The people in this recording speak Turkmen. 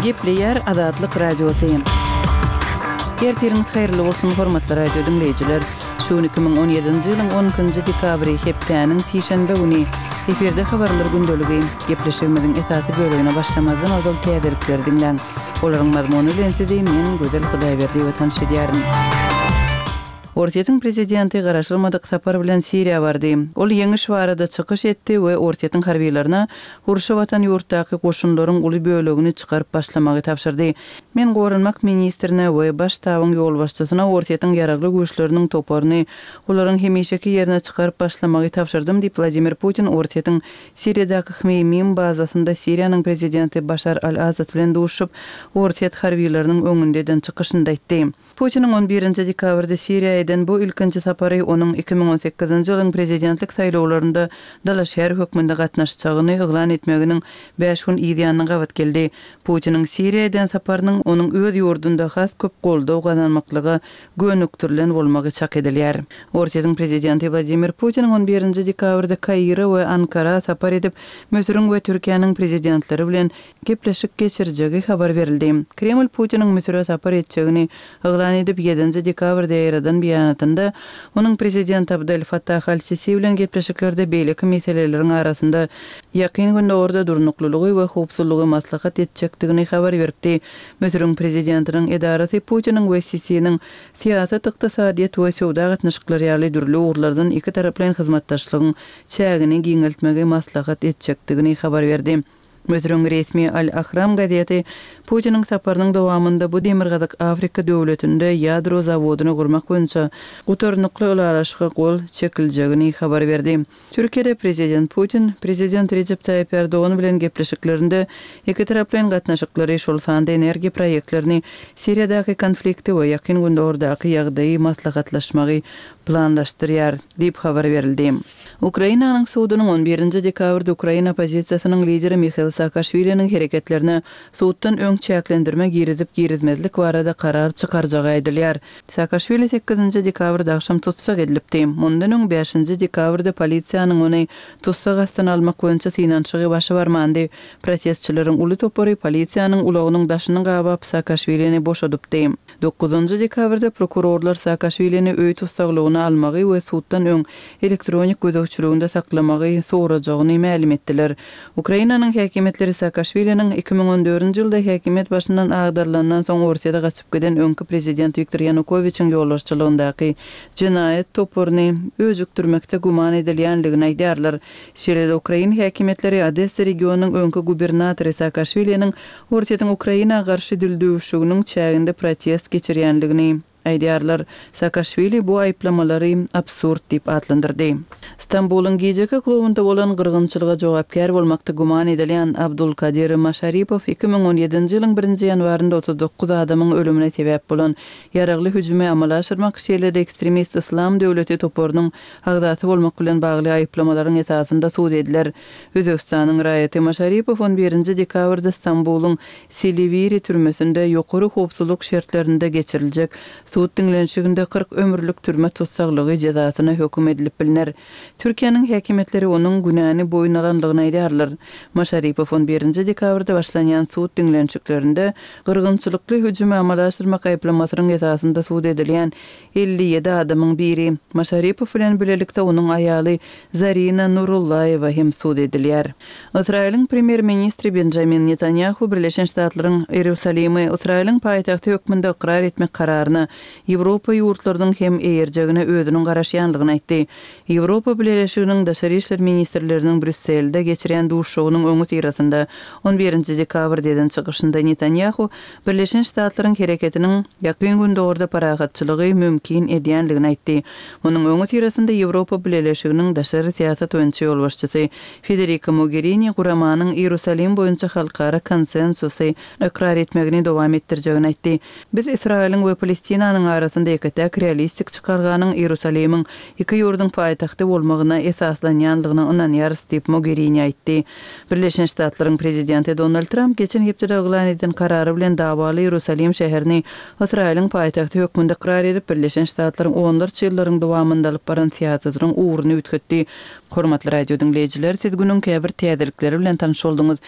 Gepleýär Azatlyk Radiosy. Ertiriňiz haýyrly bolsun, hormatly radio diňleýjiler! Şu gün 2017-nji ýylyň on ikinji dekabry, hepdäniň sişenbe güni. Efirde Habarlar gündeligi. Gepleşigimiziň esasy bölegine başlamazdan ozal täzelikleri diňläň. Olaryň mazmuny bilen sizi men, Gözel Hudaýberdiýewa tanyş edýärin. Orsýetiň prezidenti garaşylmadyk sapar bilen Siriýa bardy. Ol ýeňiş barada çykyş etdi we Orsýetiň harbylaryna urşa batan ýurtdaky goşunlaryň uly bölegini çykaryp başlamagy tabşyrdy. Men goranmak ministrine we Baş ştabyň ýolbaşçysyna Orsýetiň ýaragly güýçleriniň toparyny olaryň hemişeki ýerine çykaryp başlamagy tabşyrdym diýip, Wladimir Putin Orsýetiň Siriýadaky Hmeýmim bazasynda Siriýanyň prezidenti Başar al-Asad bilen duşuşyp, orsýet harbylarynyň öňünde eden çykyşynda aýtdy. Putiniň on birinji dekabrda Siriýa eden bu ilkinji sapary onuň 2018-nji ýylyň prezidentlik saýlawlarynda dalaşgär hökmünde gatnaşjagyny yglan etmeginiň bäş gün yz ýanyna gabat geldi. Putiniň Siriýa eden saparynyň onuň öz ýurdunda has köp goldaw gazanmaklyga gönükdirilen bolmagy çak edilýär. Orsýetiň prezidenti Wladimir Putiniň on birinji dekabrda Kaire we Ankara sapar edip, Müsüriň we Türkiýäniň prezidentleri bilen gepleşik geçirjegi habar berildi. Kreml Putiniň Müsüre sapar etjegini yglan edip, ýedinji dekabrda ýaýradan beýanatynda, onuň prezident Abdel Fattah al-Sisi bilen gepleşiklerde beýleki meseleleriň arasynda Ýakyn Gündogarda durnuklylygy we howpsuzlygy maslahat etjekdigini habar beripdi. Müsüriň prezidentiniň edarasy Putiniň we Sisiniň syýasat, ykdysadyýet we söwda gatnaşyklary ýaly dürli ugurlardan ikitaraplaýyn hyzmatdaşlygyň çägini giňeltmegi maslahat etjekdigini habar berdi. Müsüriň resmi Al-Ahram gazeti Putiniň saparynyň dowamynda bu Demirgazyk Afrika döwletinde ýadro zawodyny gurmak boýunça gutarnykly ylalaşyga gol çekiljegini habar berdi. Türkiýede prezident Putin prezident Rejep Taýyp Ärdogan bilen gepleşiklerinde ikitaraplaýyn gatnaşyklary, şol sanda energiýa proýektlerini, Siriýadaky konflikti we Ýakyn Gündogardaky ýagdaýy maslahatlaşmagy planlaşdyrýar diýip habar berildi. Ukrainanyň sudunyň on birinji dekabrda ukrain oppozisiýasynyň lideri Mihail Saakaşwiliniň hereketlerine suddan öň çäklendirme girizip-girizmezlik barada karar çykarjagy aýdylýar. Saakaşwili sekizinji dekabrda agşam tussag edilipdi. Mundan öň bäşinji dekabrda polisiýanyň ony tussag astyna almak boýunça synanyşygy başa barmandy. Protestçileriň uly topary polisiýanyň ulagynyň daşyny gabap Saakaşwilini boşadypdy. Dokuzynjy dekabrda prokurorlar Saakaşwilini öý tussaglygyna almagy we suddan öň elektronik gözegçiliginde saklamagy sorajagyny mälim etdiler. Ukrainanyň häkimiýetleri Saakaşwiliniň 2014-nji ýylda häkimiýet başyndan agdarylandan soň Orsýete gaçyp giden öňki prezident Wiktor Ýanukowiçiň ýolbaşçylygyndaky jenaýat toparyny öjükdirmekde güman edilýändigini aýdýarlar. Şeýle-de ukrain häkimiýetleri Odessa regionynyň öňki gubernatory Saakaşwiliniň Orsýetiň Ukraina garşy dildüwşüginiň çäginde protest geçirýändigini aýdýarlar. Saakaşwili bu aýyplamalary absurd diýip atlandyrdy. Stambulyň gijeki klubynda bolan gyrgynçylyga jogapkär bolmakda güman edilýän Abdulkadir Maşaripow 2017-nji ýylyň birinji ýanwarynda 39 adamyň ölümine sebäp bolan ýaragly hüjümi amala aşyrmak, şeýle-de ekstremist Yslam döwleti toparynyň agzasy bolmak bilen bagly aýyplamalaryň esasynda sud ediler. Özbegistanyň raýaty Maşaripow on birinji dekabrda Stambulyň Siliwiri türmesinde ýokary howpsuzlyk şertlerinde geçiriljek sud diňlenişiginde 40 ömürlik türme tussaglygy jezasyna höküm edilip bilner. Türkiýäniň häkimiýetleri onuň günäni boýun alandygyny aýdýarlar. Maşaripow on birinji dekabrda başlanýan sud diňlenişiklerinde gyrgynçylykly hüjümi amala aşyrmak aýyplamasynyň esasynda sud edilýän 57 adamyň biri, Maşaripow bilen bilelikde onuň aýaly Zarina Nurullaýewa hem sud edilýär. Ysraýylyň premýer-ministri Benjamin Netanýahu Birleşen Ştatlaryň Iýerusalimi Ysraýylyň paýtagty hökmünde ykrar etmek kararyna Ýewropa ýurtlarynyň hem eýerjegine özüniň garaşýanlygyny aýtdy. Ýewropa Bileleşiginiň daşary işler ministrleriniň Brýusselde geçirýän duşuşygynyň öňüsyrasynda on birinji dekabrda eden çykyşynda Netanýahu Birleşen Ştatlaryň hereketiniň Ýakyn Gündogarda parahatçylygy mümkin edýändigini aýtdy. Munuň öňüsyrasynda Ýewropa Bileleşiginiň daşary syýasat boýunça ýolbaşçysy Federika Mogerini guramanyň Iýerusalim boýunça halkara konsensusy ykrar etmegini dowam etdirjegini aýtdy. Biz Ysraýylyň we Palestinanyň arasynda ýeke-täk realistik çykalganyň Iýerusalimiň iki ýurduň paýtagty bolmagyna esaslanýandygyna ynanýarys diýip, Mogerini aýtdy. Birleşen Ştatlaryň prezidenti Donald Tramp geçen hepdede yglan eden karary bilen dawaly Iýerusalim şäherini Ysraýylyň paýtagty hökmünde ykrar edip, Birleşen Ştatlaryň onlarça ýyllaryň dowamynda alyp baran syýasatynyň ugruny üýtgetdi. Hormatly radio diňleýjiler, siz günüň käbir täzelikleri bilen tanyş bolduňyz.